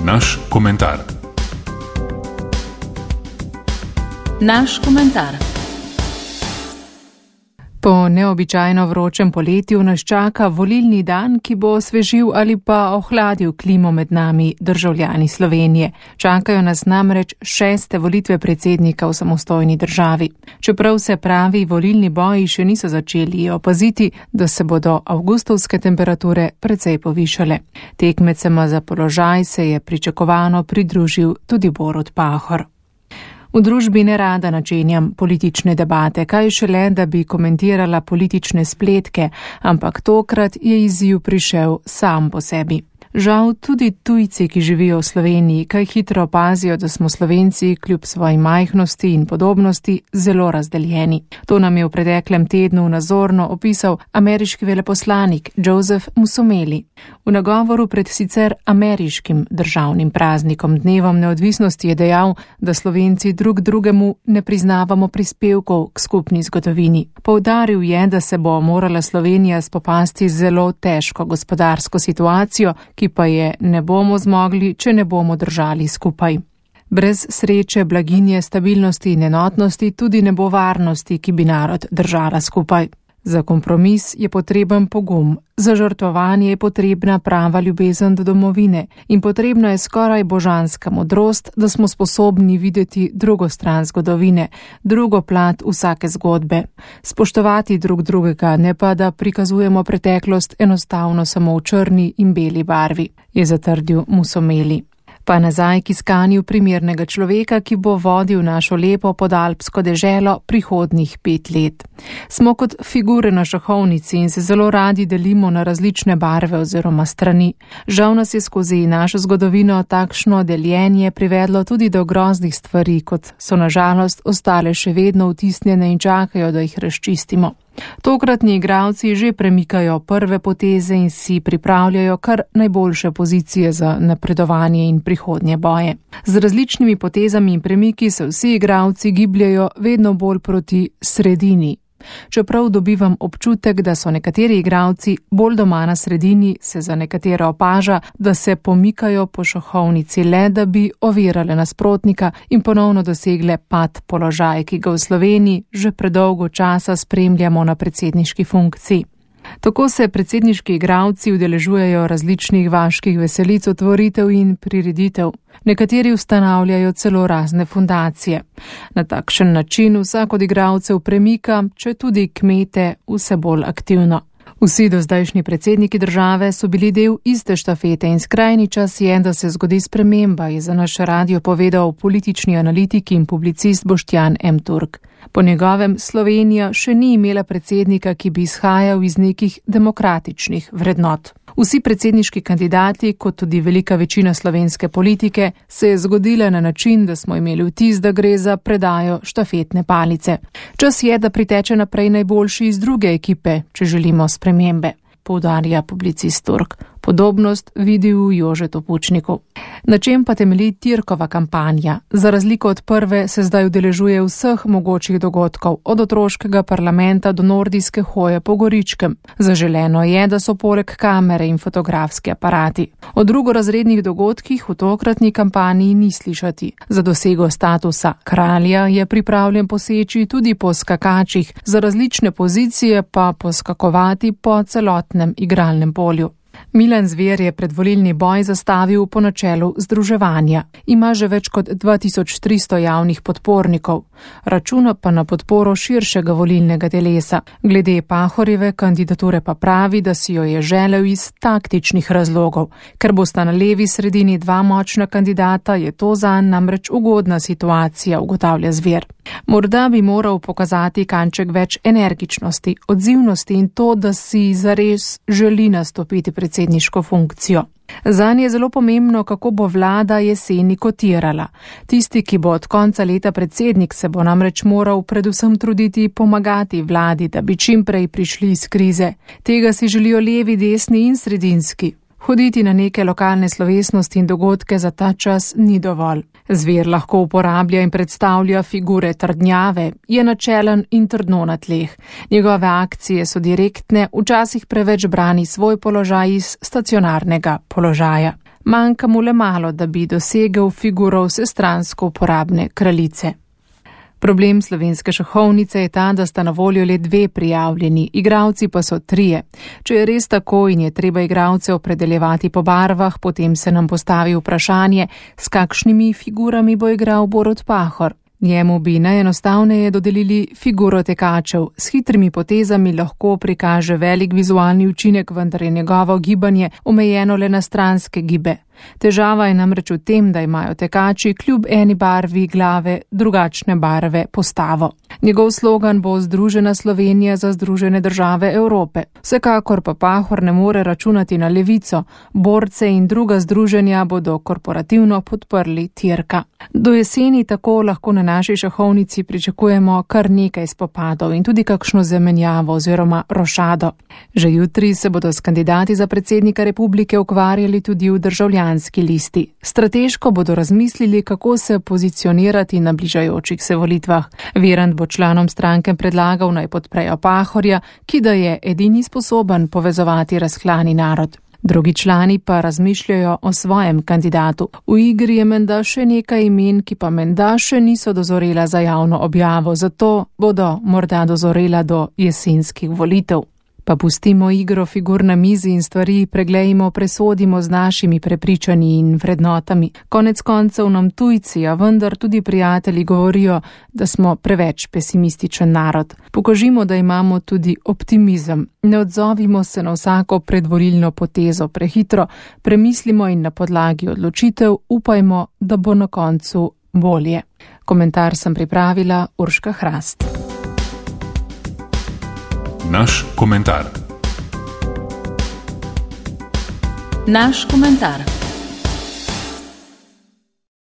Naš komentar. Naš komentar. Po neobičajno vročem poletju nas čaka volilni dan, ki bo osvežil ali pa ohladil klimo med nami, državljani Slovenije. Čakajo nas namreč 6. volitve predsednika v samostojni državi. Čeprav se pravi volilni boji še niso začeli, je opaziti, da se bodo avgustovske temperature precej povišale. Tekmecema za položaj se je pričakovano pridružil tudi Borut Pahor. V družbi nerada načenjam politične debate, kaj šele, da bi komentirala politične spletke, ampak tokrat je izziv prišel sam po sebi. Žal tudi tujci, ki živijo v Sloveniji, kaj hitro opazijo, da smo Slovenci kljub svoji majhnosti in podobnosti zelo razdeljeni. To nam je v preteklem tednu nazorno opisal ameriški veleposlanik Joseph Musomeli. V nagovoru pred sicer ameriškim državnim praznikom dnevom neodvisnosti je dejal, da Slovenci drug drugemu ne priznavamo prispevkov k skupni zgodovini. Poudaril je, da se bo morala Slovenija spopasti z zelo težko gospodarsko situacijo, ki pa je ne bomo zmogli, če ne bomo držali skupaj. Brez sreče, blaginje, stabilnosti in enotnosti tudi ne bo varnosti, ki bi narod držala skupaj. Za kompromis je potreben pogum, za žrtvovanje je potrebna prava ljubezen do domovine in potrebna je skoraj božanska modrost, da smo sposobni videti drugo stran zgodovine, drugo plat vsake zgodbe. Spoštovati drug drugega, ne pa da prikazujemo preteklost enostavno samo v črni in beli barvi, je zatrdil Musomeli. Pa nazaj k iskanju primernega človeka, ki bo vodil našo lepo podalpsko deželo prihodnjih 5 let. Smo kot figure na šahovnici in se zelo radi delimo na različne barve oziroma strani. Žal nas je skozi našo zgodovino takšno deljenje privedlo tudi do groznih stvari, kot so na žalost ostale še vedno vtisnjene in čakajo, da jih razčistimo. Tokratni igralci že premikajo prve poteze in si pripravljajo kar najboljše pozicije za napredovanje in prihodnje boje. Z različnimi potezami in premiki se vsi igralci gibljajo vedno bolj proti sredini. Čeprav dobivam občutek, da so nekateri igralci bolj doma na sredini, se za nekatere opaža, da se pomikajo po šahovnici le, da bi ovirale nasprotnika in ponovno dosegle pad položaj, ki ga v Sloveniji že predolgo časa spremljamo na predsedniški funkciji. Tako se predsedniški igralci udeležujejo različnih vaških veselic, otvoritev in prireditev. Nekateri ustanavljajo celo razne fundacije. Na takšen način vsak od igralcev premika, če tudi kmete, vse bolj aktivno. Vsi dozdajšnji predsedniki države so bili del iste štafete in skrajni čas je, da se zgodi sprememba, je za naš radio povedal politični analitik in publicist Boštjan M. Turk. Po njegovem Slovenija še ni imela predsednika, ki bi izhajal iz nekih demokratičnih vrednot. Vsi predsedniški kandidati, kot tudi velika večina slovenske politike, se je zgodila na način, da smo imeli vtis, da gre za predajo štafetne palice. Čas je, da priteče naprej najboljši iz druge ekipe, če želimo spremembe, poudarja publicist Turk. Podobnost vidi v Jožetu Pučniku. Na čem pa temelji Tirkova kampanja? Za razliko od prve se zdaj udeležuje vseh mogočih dogodkov, od otroškega parlamenta do nordijske hoje po Goričkem. Zaželeno je, da so poleg kamere in fotografski aparati. O drugorazrednih dogodkih v tokratni kampanji ni slišati. Za dosego statusa kralja je pripravljen poseči tudi po skakačih, za različne pozicije pa poskakovati po celotnem igralnem polju. Milan Zver je predvolilni boj zastavil po načelu združevanja. Ima že več kot 2300 javnih podpornikov. Računa pa na podporo širšega volilnega telesa. Glede Pahorjeve kandidature pa pravi, da si jo je želel iz taktičnih razlogov. Ker bosta na levi sredini 2 močna kandidata, je to zanj namreč ugodna situacija, ugotavlja Zver. Morda bi moral pokazati kanček več energičnosti, odzivnosti in to, da si zares želi nastopiti predsedniško funkcijo. Zanj je zelo pomembno, kako bo vlada jeseni kotirala. Tisti, ki bo od konca leta predsednik, se bo namreč moral predvsem truditi pomagati vladi, da bi čim prej prišli iz krize. Tega si želijo levi, desni in sredinski. Hoditi na neke lokalne slovesnosti in dogodke za ta čas ni dovolj. Zver lahko uporablja in predstavlja figure trdnjave, je načelen in trdno na tleh. Njegove akcije so direktne, včasih preveč brani svoj položaj iz stacionarnega položaja. Manjka mu le malo, da bi dosegel figuro vsestransko uporabne kraljice. Problem slovenske šahovnice je ta, da sta na voljo le 2 prijavljeni, igralci pa so 3. Če je res tako in je treba igralce opredeljevati po barvah, potem se nam postavi vprašanje, s kakšnimi figurami bo igral Borut Pahor. Njemu bi najenostavneje dodelili figuro tekačev. S hitrimi potezami lahko prikaže velik vizualni učinek, vendar je njegovo gibanje omejeno le na stranske gibe. Težava je namreč v tem, da imajo tekači kljub eni barvi glave drugačne barve postavo. Njegov slogan bo Združena Slovenija za Združene države Evrope. Vsekakor pa Pahor ne more računati na levico. Borce in druga združenja bodo korporativno podprli Tirka. Do jeseni tako lahko na naši šahovnici pričakujemo kar nekaj spopadov in tudi kakšno zamenjavo oziroma rošado. Že jutri se bodo s kandidati za predsednika republike ukvarjali tudi v Državljanski listi. Strateško bodo razmislili, kako se pozicionirati na bližajočih se volitvah. Virant bo članom stranke predlagal, naj podprejo Pahorja, ki da je edini sposoben povezovati razklani narod. Drugi člani pa razmišljajo o svojem kandidatu. V igri je menda še nekaj imen, ki pa menda še niso dozorela za javno objavo, zato bodo morda dozorela do jesenskih volitev. Pa pustimo igro figur na mizi in stvari preglejmo, presodimo z našimi prepričanji in vrednotami. Konec koncev nam tujci, a vendar tudi prijatelji govorijo, da smo preveč pesimističen narod. Pokažimo, da imamo tudi optimizem. Ne odzovimo se na vsako predvolilno potezo prehitro, premislimo in na podlagi odločitev upajmo, da bo na koncu bolje. Komentar sem pripravila Urška Hrast. Naš komentar. Naš komentar.